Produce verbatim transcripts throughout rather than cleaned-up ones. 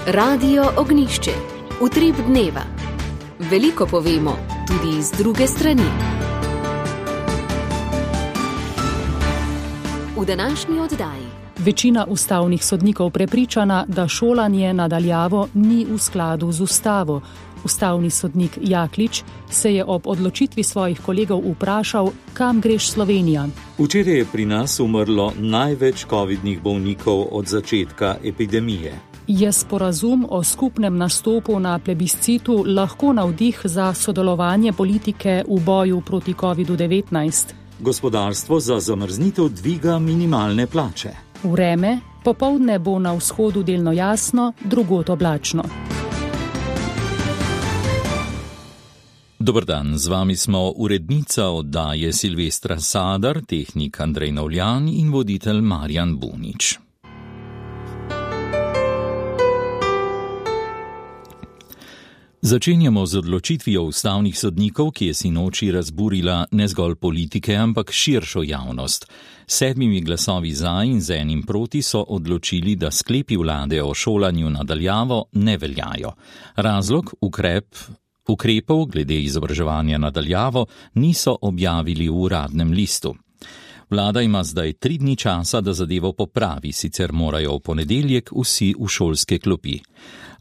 Radio Ognjišče. Utrip dneva. Veliko povemo tudi z druge strani. V današnji oddaji. Večina ustavnih sodnikov prepričana, da šolanje nadaljavo ni v skladu z ustavo. Ustavni sodnik Jaklič se je ob odločitvi svojih kolegov vprašal, kam greš Slovenija. Včeraj je pri nas umrlo največ covidnih bolnikov od začetka epidemije. Je sporazum o skupnem nastopu na plebiscitu lahko navdih za sodelovanje politike v boju proti kovidu devetnajst? Gospodarstvo za zamrznitev dviga minimalne plače. Vreme, popoldne bo na vzhodu delno jasno, drugod oblačno. Dober dan, z vami smo urednica oddaje Silvestra Sadar, tehnik Andrej Novljan in voditelj Marjan Bunič. Začenjamo z odločitvijo ustavnih sodnikov, ki je sinoči razburila ne zgolj politike, ampak širšo javnost. Sedmimi glasovi za in z enim proti so odločili, da sklepi vlade o šolanju nadaljavo ne veljajo. Razlog, ukrep, ukrepov glede izobraževanja nadaljavo niso objavili v uradnem listu. Vlada ima zdaj tri dni časa, da zadevo popravi, sicer morajo v ponedeljek vsi v šolske klopi.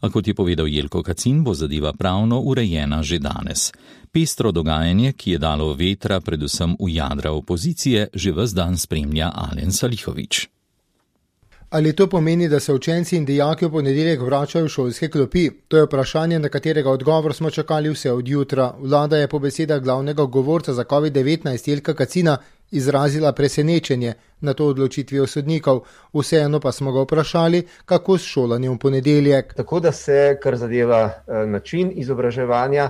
A kot je povedal Jelko Kacin, bo zadeva pravno urejena že danes. Pestro dogajanje, ki je dalo vetra predvsem v jadra opozicije, že ves dan spremlja Alen Salihovič. Ali to pomeni, da se učenci in dijaki v ponedeljek vračajo v šolske klopi? To je vprašanje, na katerega odgovor smo čakali vse od jutra. Vlada je po besedah glavnega govorca za covid devetnajst Jelka Kacina izrazila presenečenje na to odločitvijo sodnikov. Vseeno pa smo ga vprašali, kako s šolanjem v ponedeljek. Tako da se, kar zadeva način izobraževanja,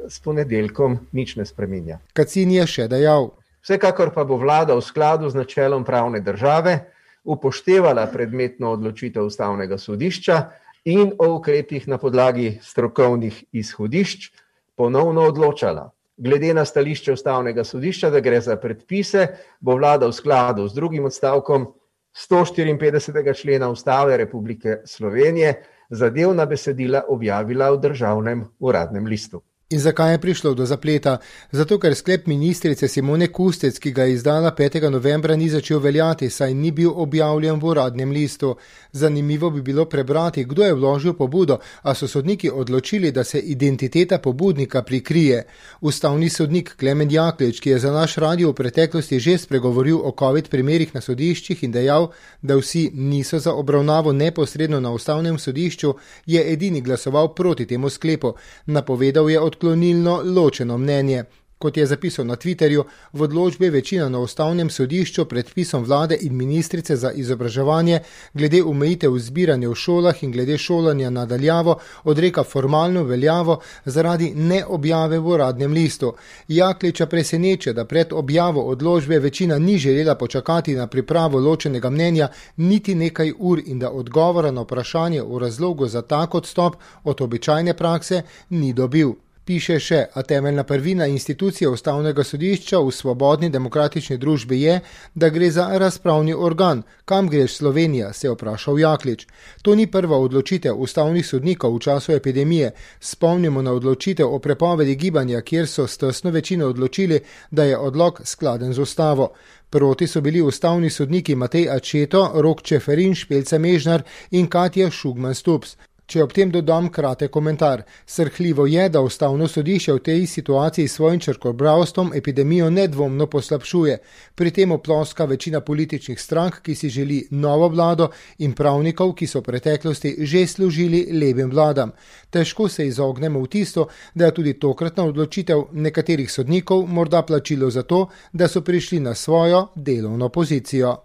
s ponedeljkom nič ne spreminja. Kacin je še dejal. Vsekakor pa bo vlada v skladu z načelom pravne države upoštevala predmetno odločitev ustavnega sodišča in o ukrepih na podlagi strokovnih izhodišč ponovno odločala. Glede na stališče ustavnega sodišča, da gre za predpise, bo vlada v skladu z drugim odstavkom sto štiriinpetdesetega člena Ustave Republike Slovenije zadevna besedila objavila v državnem uradnem listu. In zakaj je prišlo do zapleta? Zato, ker sklep ministrice Simone Kustec, ki ga je izdala petega novembra, ni začel veljati, saj ni bil objavljen v uradnem listu. Zanimivo bi bilo prebrati, kdo je vložil pobudo, a so sodniki odločili, da se identiteta pobudnika prikrije. Ustavni sodnik Klemen Jaklič, ki je za naš radio v preteklosti že spregovoril o covid primerih na sodiščih in dejal, da vsi niso za obravnavo neposredno na ustavnem sodišču, je edini glasoval proti temu sklepu. Napovedal je odklonilno ločeno mnenje. Kot je zapisal na Twitterju, v odločbi večina na ustavnem sodišču predpisom vlade in ministrice za izobraževanje glede omejitev zbiranja v šolah in glede šolanja nadaljavo odreka formalno veljavo zaradi neobjave v uradnem listu. Jakliča preseneča, da pred objavo odločbe večina ni želela počakati na pripravo ločenega mnenja niti nekaj ur in da odgovora na vprašanje o razlogu za tak odstop od običajne prakse ni dobil. Piše še, a temeljna prvina institucije ustavnega sodišča v svobodni demokratični družbi je, da gre za razpravni organ. Kam greš Slovenija, se je vprašal Jaklič. To ni prva odločitev ustavnih sodnikov v času epidemije. Spomnimo na odločitev o prepovedi gibanja, kjer so s tesno večino odločili, da je odlok skladen z ustavo. Proti so bili ustavni sodniki Matej Ačeto, Rok Čeferin, Špelca Mežnar in Katja Šugman-Stups. Če ob tem dodam kratek komentar. Srhljivo je, da ustavno sodišče v tej situaciji s svojim črkobralstvom epidemijo nedvomno poslabšuje. Pri tem oploska večina političnih strank, ki si želi novo vlado, in pravnikov, ki so v preteklosti že služili levim vladam. Težko se izognemo v tisto, da je tudi tokratna odločitev nekaterih sodnikov morda plačilo za to, da so prišli na svojo delovno pozicijo.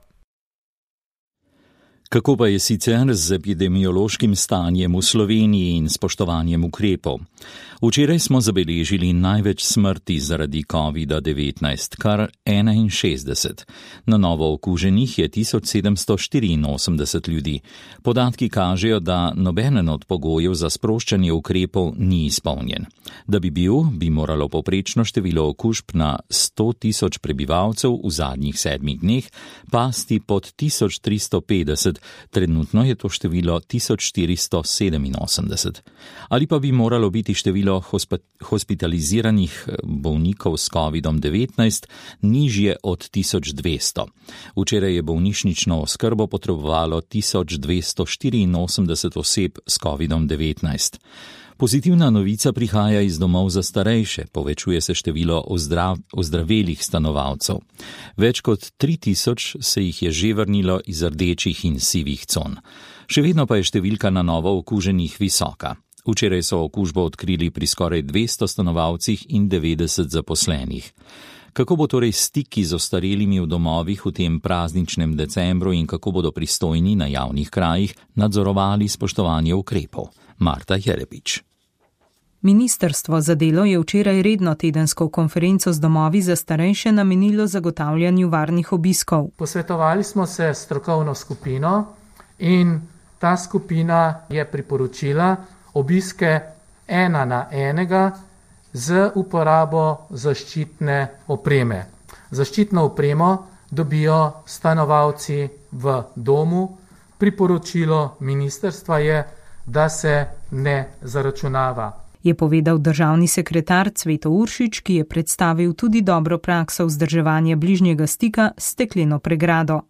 Kako pa je sicer z epidemiološkim stanjem v Sloveniji in spoštovanjem ukrepov? Včeraj smo zabeležili največ smrti zaradi kovida devetnajst, kar enainšestdeset. Na novo okuženih je tisoč sedemsto štiriinosemdeset ljudi. Podatki kažejo, da nobenen od pogojev za sproščanje ukrepov ni izpolnjen. Da bi bil, bi moralo povprečno število okužb na sto tisoč prebivalcev v zadnjih sedmih dneh pasti pod tisoč tristo petdeset, osemdeset, trenutno je to število tisoč štiristo sedeminosemdeset. Ali pa bi moralo biti število hospitaliziranih bolnikov s kovidom devetnajst nižje od tisoč dvesto. Včeraj je bolnišnično oskrbo potrebovalo tisoč dvesto štiriinosemdeset oseb s kovidom devetnajst. Pozitivna novica prihaja iz domov za starejše, povečuje se število ozdrav, ozdravelih stanovalcev. Več kot tri tisoč se jih je že vrnilo iz rdečih in sivih con. Še vedno pa je številka na novo okuženih visoka. Včeraj so okužbo odkrili pri skoraj dvesto stanovalcih in devetdeset zaposlenih. Kako bo torej stiki z ostarelimi v domovih v tem prazničnem decembru in kako bodo pristojni na javnih krajih nadzorovali spoštovanje ukrepov? Marta Jerepič. Ministrstvo za delo je včeraj redno tedensko konferenco z domovi za starejše namenilo zagotavljanju varnih obiskov. Posvetovali smo se s strokovno skupino in ta skupina je priporočila obiske ena na enega z uporabo zaščitne opreme. Zaščitno opremo dobijo stanovalci v domu. Priporočilo ministrstva je, da se ne zaračunava. Je povedal državni sekretar Cveto Uršič, ki je predstavil tudi dobro prakso vzdrževanja bližnjega stika s stekleno pregrado.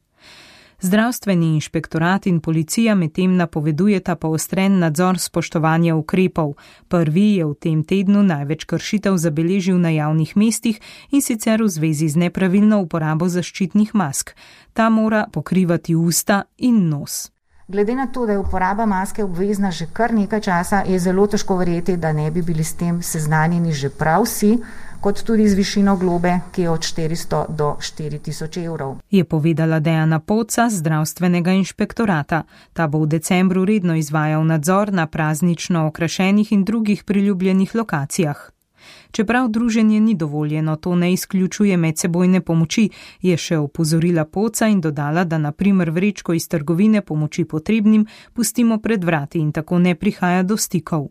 Zdravstveni inšpektorat in policija medtem napovedujeta poostren nadzor spoštovanja ukrepov. Prvi je v tem tednu največ kršitev zabeležil na javnih mestih in sicer v zvezi z nepravilno uporabo zaščitnih mask. Ta mora pokrivati usta in nos. Glede na to, da je uporaba maske obvezna že kar nekaj časa, je zelo težko verjeti, da ne bi bili s tem seznanjeni že prav vsi, kot tudi z višino globe, ki je od štiristo do štiri tisoč evrov. Je povedala Dejana Poca z zdravstvenega inšpektorata. Ta bo v decembru redno izvajal nadzor na praznično okrašenih in drugih priljubljenih lokacijah. Čeprav druženje ni dovoljeno, to ne izključuje medsebojne pomoči, je še opozorila Poca in dodala, da na primer vrečko iz trgovine pomoči potrebnim pustimo pred vrati in tako ne prihaja do stikov.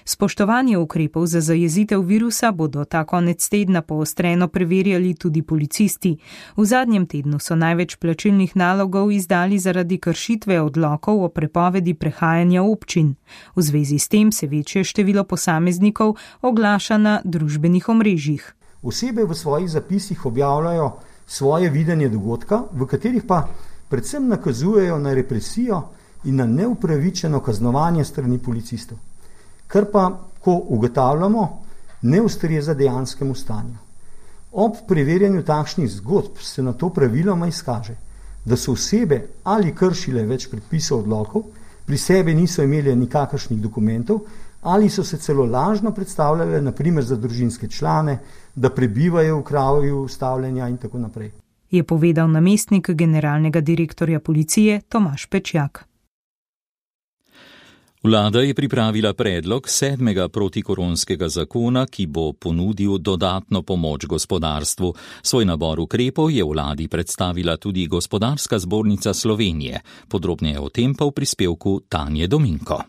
Spoštovanje ukrepov za zajezitev virusa bodo ta konec tedna poostreno preverjali tudi policisti. V zadnjem tednu so največ plačilnih nalogov izdali zaradi kršitve odlokov o prepovedi prehajanja občin. V zvezi s tem se večje število posameznikov oglaša na družbenih omrežjih. Osebe v svojih zapisih objavljajo svoje videnje dogodka, v katerih pa predvsem nakazujejo na represijo in na neupravičeno kaznovanje strani policistov. Kar pa, ko ugotavljamo, ne ustreza dejanskemu stanju. Ob preverjanju takšnih zgodb se na to praviloma izkaže, da so osebe ali kršile več predpisov odlokov, pri sebi niso imeli nikakršnih dokumentov ali so se celo lažno predstavljale, na primer za družinske člane, da prebivajo v kraju stavljenja in tako naprej. Je povedal namestnik generalnega direktorja policije Tomaž Pečjak. Vlada je pripravila predlog sedmega protikoronskega zakona, ki bo ponudil dodatno pomoč gospodarstvu. Svoj nabor ukrepov je vladi predstavila tudi Gospodarska zbornica Slovenije. Podrobneje o tem pa v prispevku Tanje Dominko.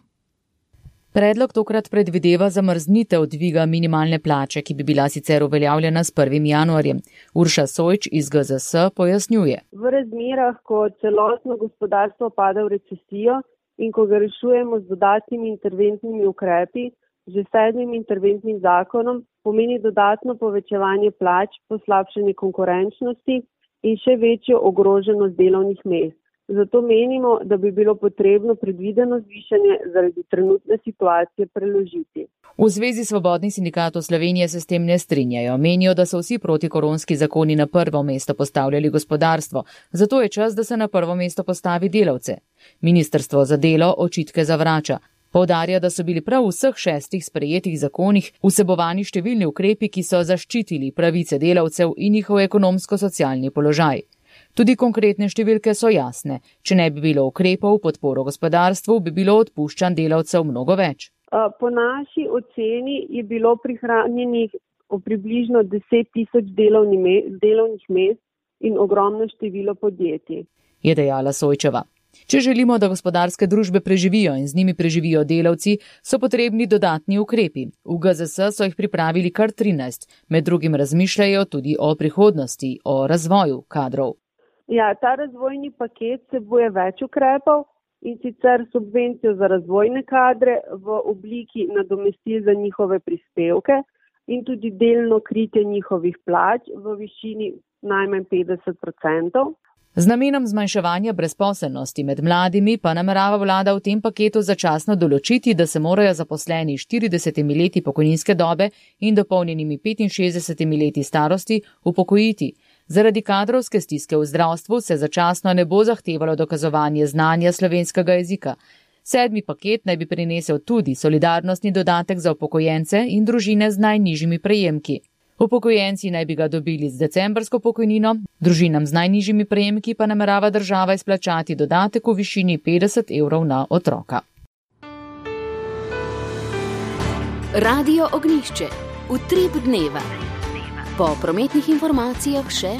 Predlog tokrat predvideva zamrznitev dviga minimalne plače, ki bi bila sicer uveljavljena s prvim januarjem. Urša Sojč iz G Z S pojasnjuje. V razmerah, ko celotno gospodarstvo pada v recesijo, in ko ga rešujemo z dodatnimi interventnimi ukrepi, že sedmim interventnim zakonom, pomeni dodatno povečevanje plač, poslabšanje konkurenčnosti in še večjo ogroženost delovnih mest. Zato menimo, da bi bilo potrebno predvideno zvišanje zaradi trenutne situacije preložiti. V Zvezi svobodnih sindikatov Slovenije se s tem ne strinjajo. Menijo, da so vsi protikoronski zakoni na prvo mesto postavljali gospodarstvo, zato je čas, da se na prvo mesto postavi delavce. Ministrstvo za delo očitke zavrača. Poudarja, da so bili prav v vseh šestih sprejetih zakonih vsebovani številni ukrepi, ki so zaščitili pravice delavcev in njihov ekonomsko-socialni položaj. Tudi konkretne številke so jasne. Če ne bi bilo ukrepov v podporo gospodarstvu, bi bilo odpuščanj delavcev mnogo več. Po naši oceni je bilo prihranjenih približno deset tisoč delovnih mest in ogromno število podjetij, je dejala Sojčeva. Če želimo, da gospodarske družbe preživijo in z njimi preživijo delavci, so potrebni dodatni ukrepi. V G Z S so jih pripravili kar trinajst, med drugim razmišljajo tudi o prihodnosti, o razvoju kadrov. Ja, ta razvojni paket vsebuje več ukrepov, in sicer subvencijo za razvojne kadre v obliki nadomestil za njihove prispevke in tudi delno kritje njihovih plač v višini najmanj petdeset odstotkov. Z namenom zmanjševanja brezposelnosti med mladimi pa namerava vlada v tem paketu začasno določiti, da se morajo zaposleni štiridesetimi leti pokojninske dobe in dopolnjenimi petinšestdesetimi leti starosti upokojiti. Zaradi kadrovske stiske v zdravstvu se začasno ne bo zahtevalo dokazovanje znanja slovenskega jezika. Sedmi paket naj bi prinesel tudi solidarnostni dodatek za upokojence in družine z najnižjimi prejemki. Upokojenci naj bi ga dobili z decembrsko pokojnino, družinam z najnižjimi prejemki pa namerava država izplačati dodatek v višini petdeset evrov na otroka. Radio Ognjišče. Utrip dneva. Po prometnih informacijah še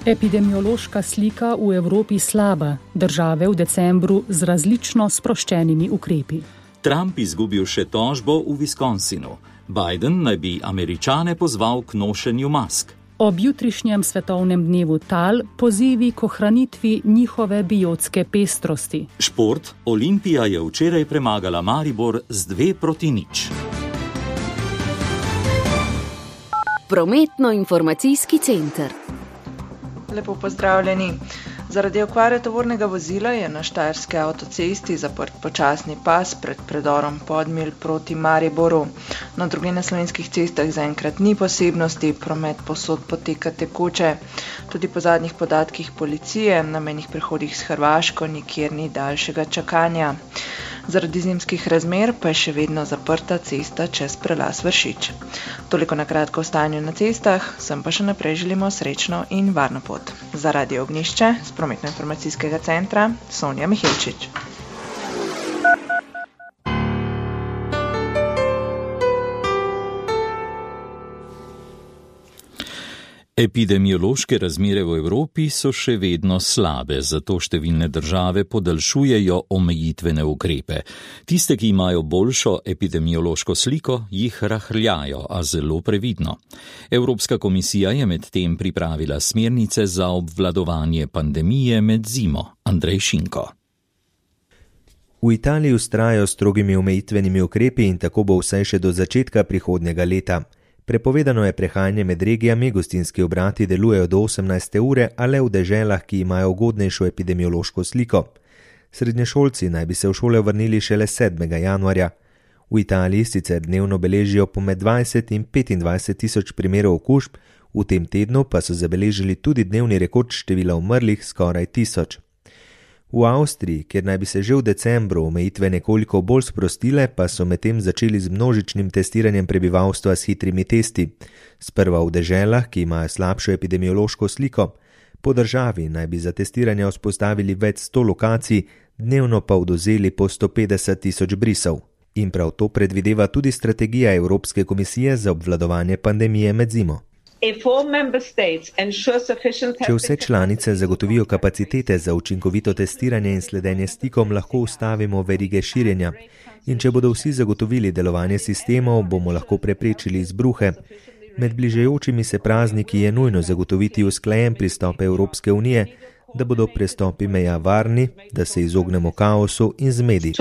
epidemiološka slika v Evropi slaba, države v decembru z različno sproščenimi ukrepi. Trump izgubil še tožbo v Wisconsinu. Biden naj bi Američane pozval k nošenju mask. Ob jutrišnjem svetovnem dnevu tal pozivi k ohranitvi njihove biotske pestrosti. Šport. Olimpija je včeraj premagala Maribor z dve proti nič. Prometno-informacijski center. Lepo pozdravljeni. Zaradi okvare tovornega vozila je na štajerski avtocesti zaprt počasni pas pred predorom Podmilj proti Mariboru. Na drugih slovenskih cestah zaenkrat ni posebnosti, promet povsod poteka tekoče. Tudi po zadnjih podatkih policije na mejnih prehodih s Hrvaško nikjer ni daljšega čakanja. Zaradi zimskih razmer pa je še vedno zaprta cesta čez prelaz Vršič. Toliko na kratko o stanju na cestah, sem pa še naprej želimo srečno in varno pot. Za Radio Ognjišče z prometno-informacijskega centra Sonja Miheličič. Epidemiološke razmere v Evropi so še vedno slabe, zato številne države podaljšujejo omejitvene ukrepe. Tiste, ki imajo boljšo epidemiološko sliko, jih rahljajo, a zelo previdno. Evropska komisija je medtem pripravila smernice za obvladovanje pandemije med zimo. Andrej Šinko. V Italiji vztrajajo strogimi omejitvenimi ukrepi in tako bo vsaj še do začetka prihodnjega leta. Prepovedano je prehajanje med regijami, gostinski obrati delujejo do osemnajste ure, a le v deželah, ki imajo ugodnejšo epidemiološko sliko. Srednješolci naj bi se v šole vrnili šele sedmega januarja. V Italiji sicer dnevno beležijo po med dvajset in petindvajset tisoč primerov okužb, v tem tednu pa so zabeležili tudi dnevni rekord števila umrlih skoraj tisoč. V Avstriji, kjer naj bi se že v decembru omejitve nekoliko bolj sprostile, pa so medtem začeli z množičnim testiranjem prebivalstva s hitrimi testi. Sprva v deželah, ki imajo slabšo epidemiološko sliko. Po državi naj bi za testiranje vzpostavili več sto lokacij, dnevno pa odvzeli po sto petdeset tisoč brisov. In prav to predvideva tudi strategija Evropske komisije za obvladovanje pandemije med zimo. Če vse članice zagotovijo kapacitete za učinkovito testiranje in sledenje stikom, lahko ustavimo verige širjenja. In če bodo vsi zagotovili delovanje sistemov, bomo lahko preprečili izbruhe. Med bližajočimi se prazniki je nujno zagotoviti usklajen pristop Evropske unije, da bodo prestopi meja varni, da se izognemo kaosu in zmedi.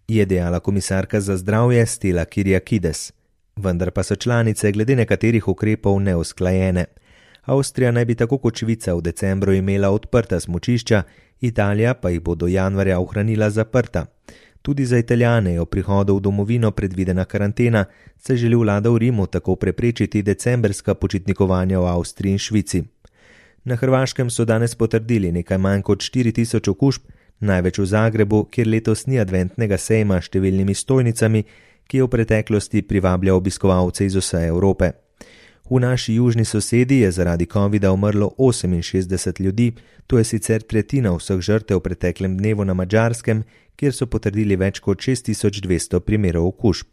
Je dejala komisarka za zdravje Stella Kyriakides. Vendar pa so članice glede nekaterih ukrepov neusklajene. Avstrija naj bi tako kot Švica v decembru imela odprta smučišča, Italija pa jih bo do januarja ohranila zaprta. Tudi za Italijane je ob prihodu v domovino predvidena karantena, saj želi vlada v Rimu tako preprečiti decembrska počitnikovanja v Avstriji in Švici. Na Hrvaškem so danes potrdili nekaj manj kot štiri tisoč okužb, največ v Zagrebu, kjer letos ni adventnega sejma s številnimi stojnicami, ki je v preteklosti privabljal obiskovalce iz vse Evrope. V naši južni sosedi je zaradi covida umrlo oseminšestdeset ljudi, to je sicer tretjina vseh žrtev v preteklem dnevu na Madžarskem, kjer so potrdili več kot šest tisoč dvesto primerov okužb.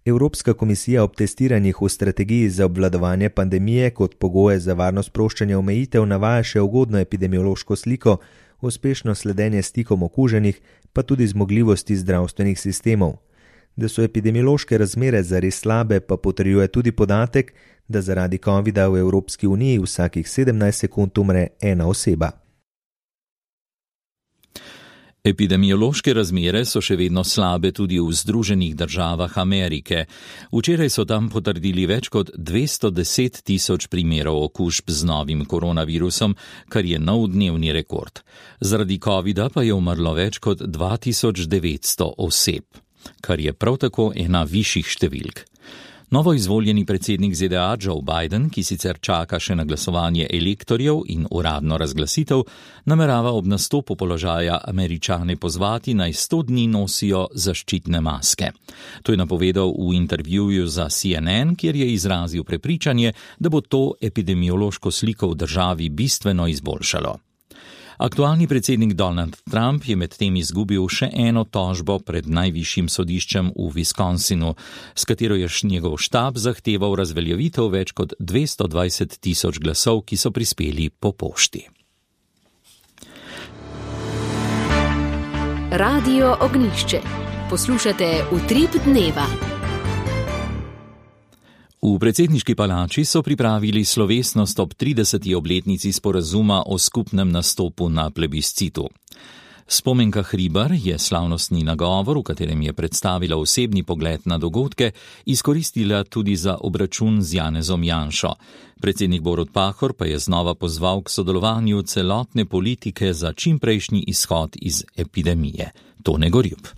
Evropska komisija ob testiranjih v strategiji za obvladovanje pandemije kot pogoje za varno sproščanje omejitev navaja še ugodno epidemiološko sliko, uspešno sledenje stikom okuženih, pa tudi zmogljivosti zdravstvenih sistemov. Da so epidemiološke razmere zares slabe, pa potrjuje tudi podatek, da zaradi covida v Evropski uniji vsakih sedemnajst sekund umre ena oseba. Epidemiološke razmere so še vedno slabe tudi v Združenih državah Amerike. Včeraj so tam potrdili več kot dvesto deset tisoč primerov okužb z novim koronavirusom, kar je nov dnevni rekord. Zaradi covida pa je umrlo več kot dva tisoč devetsto oseb, kar je prav tako ena višjih številk. Novo izvoljeni predsednik Z D A Joe Biden, ki sicer čaka še na glasovanje elektorjev in uradno razglasitev, namerava ob nastopu položaja Američane pozvati, naj sto dni nosijo zaščitne maske. To je napovedal v intervjuju za C N N, kjer je izrazil prepričanje, da bo to epidemiološko sliko v državi bistveno izboljšalo. Aktualni predsednik Donald Trump je medtem izgubil še eno tožbo pred najvišjim sodiščem v Wisconsinu, s katero je njegov štab zahteval razveljavitev več kot dvesto dvajset tisoč glasov, ki so prispeli po pošti. Radio Ognjišče. Poslušate Utrip dneva. V predsedniški palači so pripravili slovesnost ob trideseti obletnici sporazuma o skupnem nastopu na plebiscitu. Spomenka Hribar je slavnostni nagovor, v katerem je predstavila osebni pogled na dogodke, izkoristila tudi za obračun z Janezom Janšo. Predsednik Borut Pahor pa je znova pozval k sodelovanju celotne politike za čimprejšnji izhod iz epidemije. Tone Gorjup.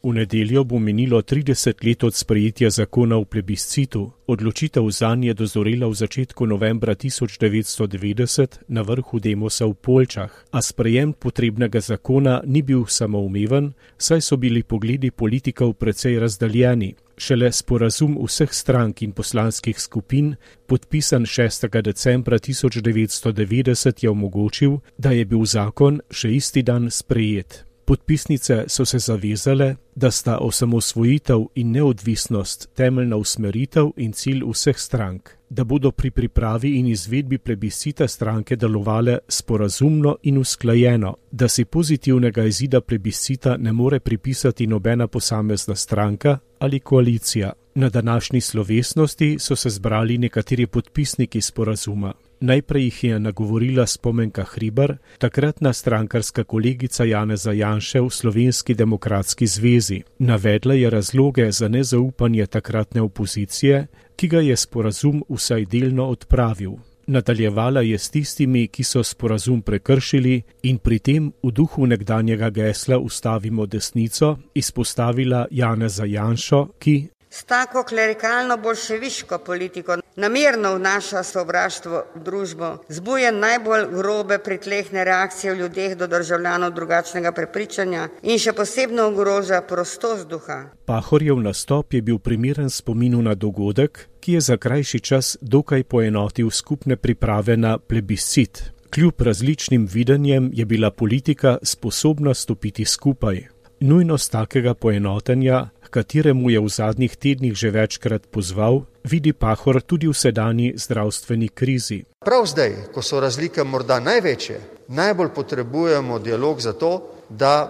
V nedeljo bo minilo trideset let od sprejetja zakona o plebiscitu. Odločitev zanj je dozorela v začetku novembra tisoč devetsto devetdeset na vrhu Demosa v Poljčah, a sprejem potrebnega zakona ni bil samoumeven, saj so bili pogledi politikov precej razdaljeni. Šele sporazum vseh strank in poslanskih skupin, podpisan šestega decembra tisoč devetsto devetdeset, je omogočil, da je bil zakon še isti dan sprejet. Podpisnice so se zavezale, da sta osamosvojitev in neodvisnost temeljna usmeritev in cilj vseh strank, da bodo pri pripravi in izvedbi plebiscita stranke delovale sporazumno in usklajeno, da si pozitivnega izida plebiscita ne more pripisati nobena posamezna stranka ali koalicija. Na današnji slovesnosti so se zbrali nekateri podpisniki sporazuma. Najprej jih je nagovorila Spomenka Hribar, takratna strankarska kolegica Janeza Janše v Slovenski demokratski zvezi. Navedla je razloge za nezaupanje takratne opozicije, ki ga je sporazum vsaj delno odpravil. Nadaljevala je s tistimi, ki so sporazum prekršili, in pri tem v duhu nekdanjega gesla Ustavimo desnico izpostavila Janeza Janšo, ki s tako klerikalno bolševiško politiko namerno vnaša sovraštvo v družbo, zbuja najbolj grobe pritlehne reakcije v ljudeh do državljanov drugačnega prepričanja in še posebno ogroža prostost duha. Pahorjev nastop je bil primeren spominu na dogodek, ki je za krajši čas dokaj poenotil skupne priprave na plebiscit. Kljub različnim videnjem je bila politika sposobna stopiti skupaj. Nujnost takega poenotenja, kateremu je v zadnjih tednih že večkrat pozval, vidi Pahor tudi v sedanji zdravstveni krizi. Prav zdaj, ko so razlike morda največje, najbolj potrebujemo dialog za to, da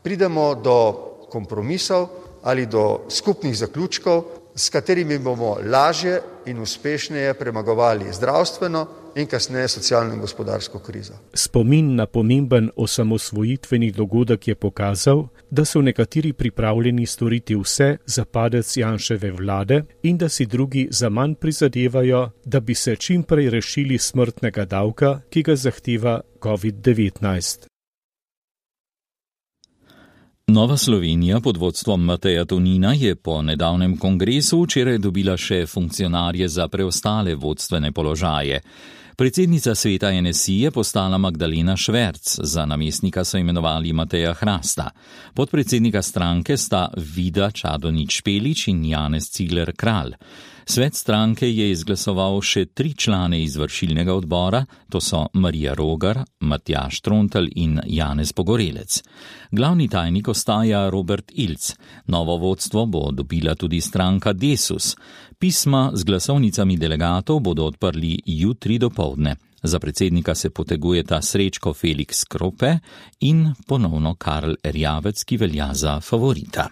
pridemo do kompromisov ali do skupnih zaključkov, s katerimi bomo lažje in uspešneje premagovali zdravstveno in kasneje socialno in gospodarsko krizo. Spomin na pomemben osamosvojitveni dogodek je pokazal, da so nekateri pripravljeni storiti vse za padec Janševe vlade in da si drugi zaman prizadevajo, da bi se čim prej rešili smrtnega davka, ki ga zahteva covid devetnajst. Nova Slovenija pod vodstvom Mateja Tonina je po nedavnem kongresu včeraj dobila še funkcionarje za preostale vodstvene položaje. Predsednica sveta N S I je postala Magdalena Šverc, za namestnika so imenovali Mateja Hrasta. Podpredsednika stranke sta Vida Čadonič Špelič in Janez Cigler Kralj. Svet stranke je izglasoval še tri člane izvršilnega odbora, to so Marija Rogar, Matjaž Trontelj in Janez Pogorelec. Glavni tajnik ostaja Robert Ilc. Novo vodstvo bo dobila tudi stranka Desus. Pisma z glasovnicami delegatov bodo odprli jutri dopoldne. Za predsednika se potegujeta Srečko Felix Krope in ponovno Karl Erjavec, ki velja za favorita.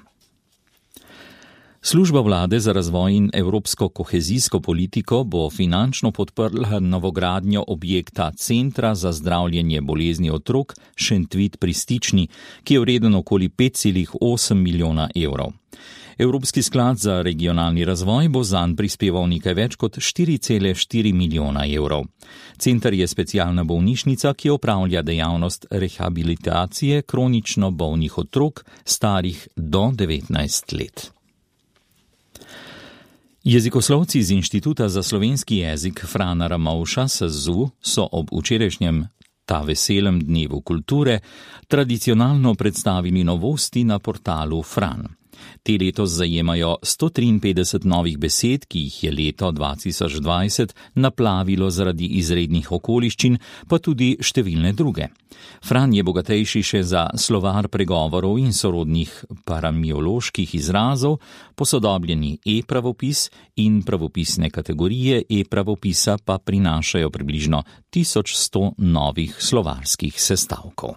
Služba vlade za razvoj in evropsko kohezijsko politiko bo finančno podprla novogradnjo objekta Centra za zdravljenje bolezni otrok Šentvid pri Stični, ki je vreden okoli pet celih osem milijona evrov. Evropski sklad za regionalni razvoj bo zanj prispeval nekaj več kot štiri cele štiri milijona evrov. Center je specialna bolnišnica, ki opravlja dejavnost rehabilitacije kronično bolnih otrok starih do devetnajst let. Jezikoslovci z Inštituta za slovenski jezik Frana Ramovša S Z U so ob včerajšnjem ta veselem dnevu kulture tradicionalno predstavili novosti na portalu Fran. Te letos zajemajo sto triinpetdeset novih besed, ki jih je leto dva tisoč dvajset naplavilo zaradi izrednih okoliščin, pa tudi številne druge. Fran je bogatejši še za slovar pregovorov in sorodnih paramioloških izrazov, posodobljeni e-pravopis in pravopisne kategorije e-pravopisa pa prinašajo približno tisoč sto novih slovarskih sestavkov.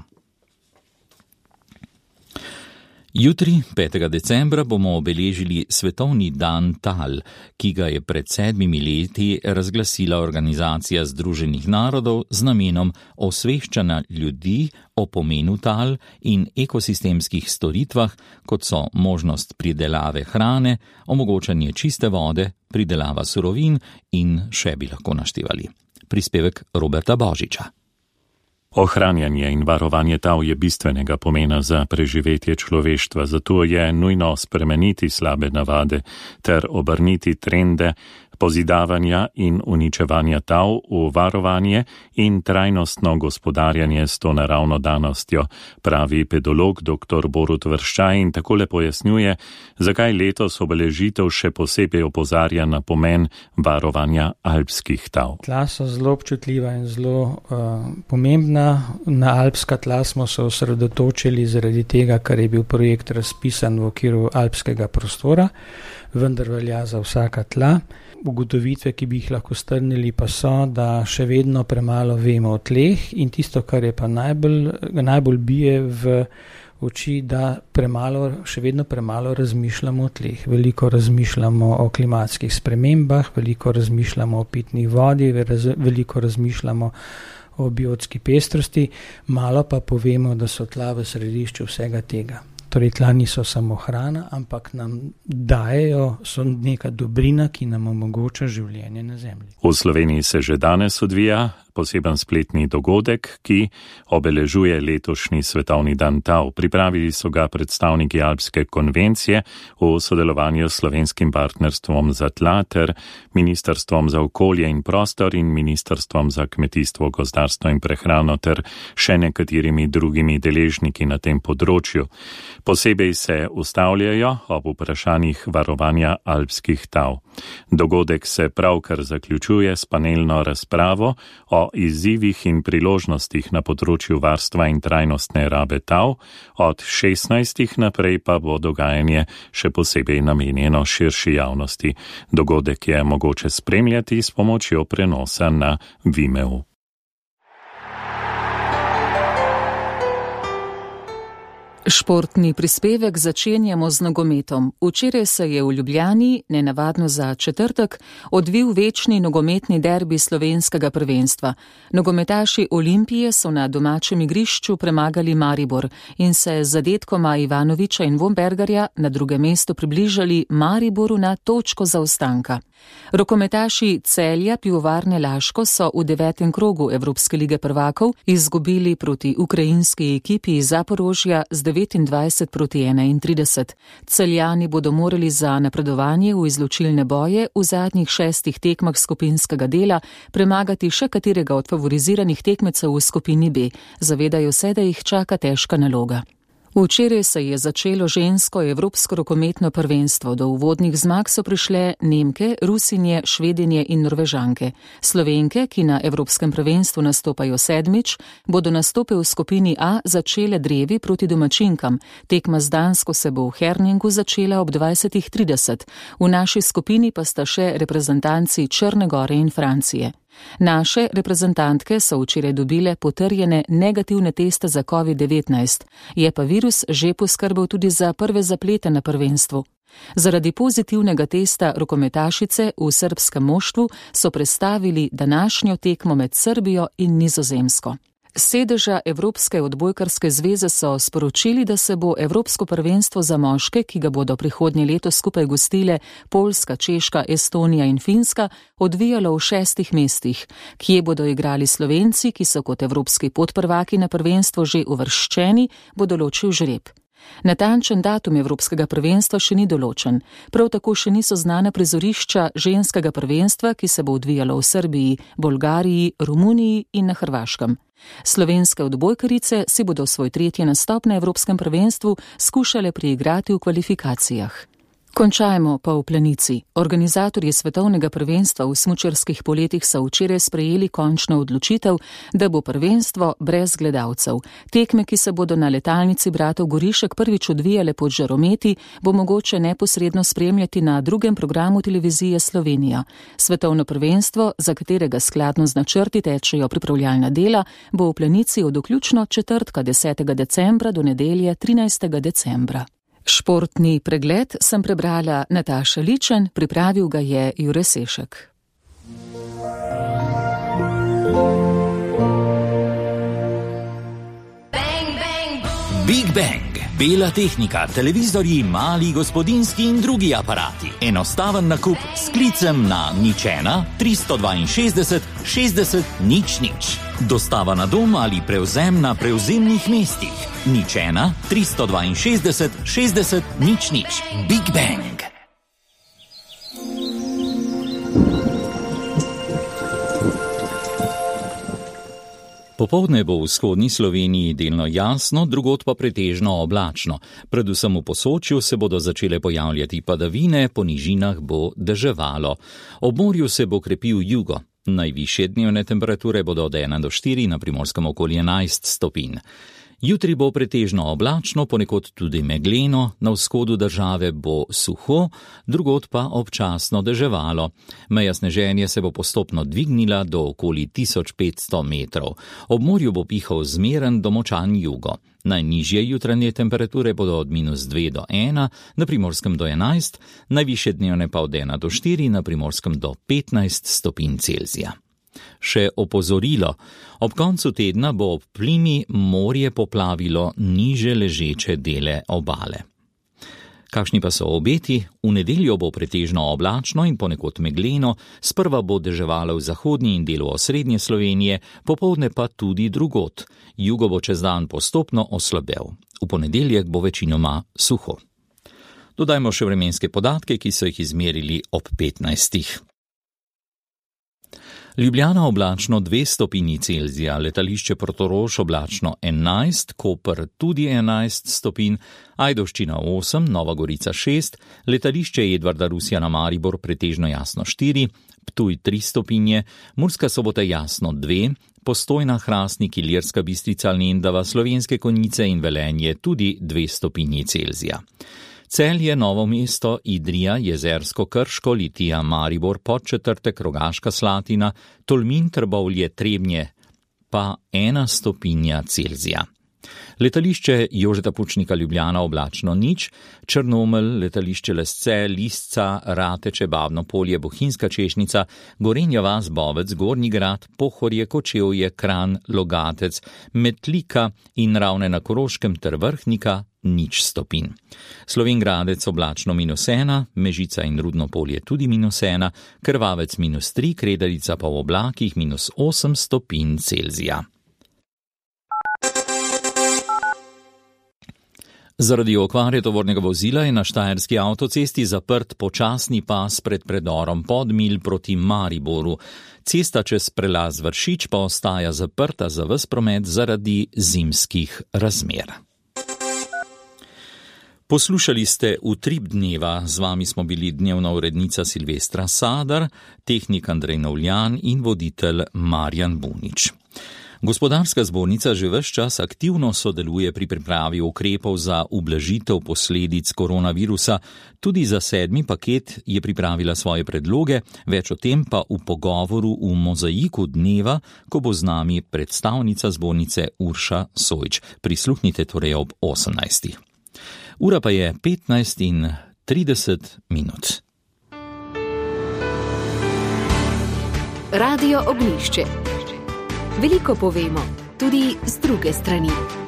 Jutri, petega decembra, bomo obeležili Svetovni dan tal, ki ga je pred sedmimi leti razglasila Organizacija združenih narodov z namenom osveščanja ljudi o pomenu tal in ekosistemskih storitvah, kot so možnost pridelave hrane, omogočanje čiste vode, pridelava surovin in še bi lahko naštevali. Prispevek Roberta Božiča. Ohranjanje in varovanje tal je bistvenega pomena za preživetje človeštva, zato je nujno spremeniti slabe navade ter obrniti trende pozidavanja in uničevanja tal v varovanje in trajnostno gospodarjanje s to naravno danostjo, pravi pedolog dr. Borut Vrščaj in takole pojasnjuje, zakaj letos obeležitev še posebej opozarja na pomen varovanja alpskih tal. Tla so zelo občutljiva in zelo uh, pomembna. Na alpska tla smo se osredotočili zaradi tega, ker je bil projekt razpisan v okviru alpskega prostora, vendar velja za vsaka tla. Ugotovitve, ki bi jih lahko strnili, pa so, da še vedno premalo vemo o tleh in tisto, kar je pa najbolj, najbolj bije v oči, da premalo, še vedno premalo razmišljamo o tleh. Veliko razmišljamo o klimatskih spremembah, veliko razmišljamo o pitni vodi, veliko razmišljamo o biotski pestrosti, malo pa povemo, da so tla v središču vsega tega. Torej, tla niso samo hrana, ampak nam dajejo, so neka dobrina, ki nam omogoča življenje na zemlji. V Sloveniji se že danes odvija poseben spletni dogodek, ki obeležuje letošnji svetovni dan tal. Pripravili so ga predstavniki Alpske konvencije v sodelovanju s Slovenskim partnerstvom za tla ter Ministrstvom za okolje in prostor in Ministrstvom za kmetijstvo, gozdarstvo in prehrano ter še nekaterimi drugimi deležniki na tem področju. Posebej se ustavljajo ob vprašanjih varovanja alpskih tal. Dogodek se pravkar zaključuje s panelno razpravo o izzivih in priložnostih na področju varstva in trajnostne rabe tal, od šestnajstih naprej pa bo dogajanje še posebej namenjeno širši javnosti. Dogodek je mogoče spremljati s pomočjo prenosa na Vimeo. Športni prispevek začenjamo z nogometom. Včeraj se je v Ljubljani, nenavadno za četrtek, odvil večni nogometni derbi slovenskega prvenstva. Nogometaši Olimpije so na domačem igrišču premagali Maribor in se z zadetkoma Ivanoviča in Vombergarja na drugem mestu približali Mariboru na točko zaostanka. Rokometaši Celja Pivovarne Laško so v devetem krogu Evropske lige prvakov izgubili proti ukrajinski ekipi iz Zaporožja z devetindvajset proti enaintrideset. Celjani bodo morali za napredovanje v izločilne boje v zadnjih šestih tekmah skupinskega dela premagati še katerega od favoriziranih tekmecev v skupini B. Zavedajo se, da jih čaka težka naloga. Včeraj se je začelo žensko evropsko rokometno prvenstvo. Do uvodnih zmag so prišle Nemke, Rusinje, Švedinje in Norvežanke. Slovenke, ki na evropskem prvenstvu nastopajo sedmič, bodo nastope v skupini A začele drevi proti domačinkam. Tekma z Dansko se bo v Herningu začela ob dvajsetih trideset. V naši skupini pa sta še reprezentanci Črne Gore in Francije. Naše reprezentantke so včeraj dobile potrjene negativne teste za covid devetnajst, je pa virus že poskrbel tudi za prve zaplete na prvenstvu. Zaradi pozitivnega testa rokometašice v srbskem moštvu so prestavili današnjo tekmo med Srbijo in Nizozemsko. Sedeža Evropske odbojkarske zveze so sporočili, da se bo Evropsko prvenstvo za moške, ki ga bodo prihodnje leto skupaj gostile Poljska, Češka, Estonija in Finska, odvijalo v šestih mestih, kje bodo igrali Slovenci, ki so kot evropski podprvaki na prvenstvo že uvrščeni, bo določil žreb. Natančen datum Evropskega prvenstva še ni določen, prav tako še niso znane prizorišča ženskega prvenstva, ki se bo odvijalo v Srbiji, Bolgariji, Romuniji in na Hrvaškem. Slovenske odbojkarice si bodo svoj tretji nastop na Evropskem prvenstvu skušale priigrati v kvalifikacijah. Končajmo pa v Planici. Organizatorji svetovnega prvenstva v smučarskih poletih so včeraj sprejeli končno odločitev, da bo prvenstvo brez gledalcev. Tekme, ki se bodo na letalnici bratov Gorišek prvič odvijale pod žarometi, bo mogoče neposredno spremljati na drugem programu televizije Slovenija. Svetovno prvenstvo, za katerega skladno z načrti tečejo pripravljalna dela, bo v Planici od vključno četrtka desetega decembra do nedelje trinajstega decembra. Športni pregled sem prebrala Nataša Ličen, pripravil ga je Jure Sešek. Big Bang. Bela tehnika, televizorji, mali gospodinski in drugi aparati. Enostaven nakup s klicem na nič ena tristo dvainšestdeset šestdeset nič nič. Dostava na dom ali prevzem na prevzemnih mestih. nič ena tristo dvainšestdeset šestdeset nič nič. Big Bang. Popoldne bo v vzhodni Sloveniji delno jasno, drugod pa pretežno oblačno. Predvsem v Posočju se bodo začele pojavljati padavine, po nižinah bo deževalo. Ob morju se bo krepil jugo. Najvišje dnevne temperature bodo od ena do štiri, na Primorskem okoli enajst stopinj. Jutri bo pretežno oblačno, ponekod tudi megleno, na vzhodu države bo suho, drugod pa občasno deževalo. Meja sneženja se bo postopno dvignila do okoli tisoč petsto metrov. Ob morju bo pihal zmeren do močan jugo. Najnižje jutranje temperature bodo od minus dve do ena, na Primorskem do enajst, najvišje dnevne pa od ena do štiri, na Primorskem do petnajst stopinj Celzija. Še opozorilo. Ob koncu tedna bo ob plimi morje poplavilo niže ležeče dele obale. Kakšni pa so obeti? V nedeljo bo pretežno oblačno in ponekod megleno, sprva bo deževalo v zahodnji in delu osrednje Slovenije, popoldne pa tudi drugod. Jugo bo čez dan postopno oslabel. V ponedeljek bo večinoma suho. Dodajmo še vremenske podatke, ki so jih izmerili ob petnajstih. Ljubljana oblačno dve stopinji Celzija, letališče Portorož oblačno enajst, Koper tudi enajst stopinj, Ajdovščina osem, Nova Gorica šest, letališče Edvarda Rusjana Maribor pretežno jasno štiri, Ptuj tri stopinje, Murska Sobota jasno dve, Postojna, Hrastnik, Ilirska Bistrica, Lendava, Slovenske Konjice in Velenje tudi dve stopinji Celzija. Celje, Novo mesto, Idrija, Jezersko, Krško, Litija, Maribor, Podčetrtek, Rogaška Slatina, Tolmin, Trbovlje, Trebnje pa ena stopinja Celzija. Letališče Jožeta Pučnika Ljubljana oblačno nič, Črnomelj, letališče Lesce, Lisca, Rateče, Babno polje, Bohinjska Češnica, Gorenja vas, Bovec, Gornji grad, Pohorje, Kočevje, Kranj, Logatec, Metlika in Ravne na Koroškem ter Vrhnika nič stopinj. Slovenjgradec oblačno minus ena, Mežica in Rudno polje tudi minus ena, Krvavec minus tri, Kredarica pa v oblakih minus osem stopinj Celzija. Zaradi okvare tovornega vozila je na štajerski avtocesti zaprt počasni pas pred predorom Podmilj proti Mariboru. Cesta čez prelaz Vršič pa ostaja zaprta za ves promet zaradi zimskih razmer. Poslušali ste Utrip dneva, z vami smo bili dnevna urednica Silvestra Sadar, tehnik Andrej Novljan in voditelj Marjan Bunič. Gospodarska zbornica že ves čas aktivno sodeluje pri pripravi ukrepov za ublažitev posledic koronavirusa. Tudi za sedmi paket je pripravila svoje predloge, več o tem pa v pogovoru v Mozaiku dneva, ko bo z nami predstavnica zbornice Urša Sojč. Prisluhnite torej ob osemnajstih. Ura pa je petnajst in trideset minut. Radio Ognjišče. Veliko povemo, tudi z druge strani.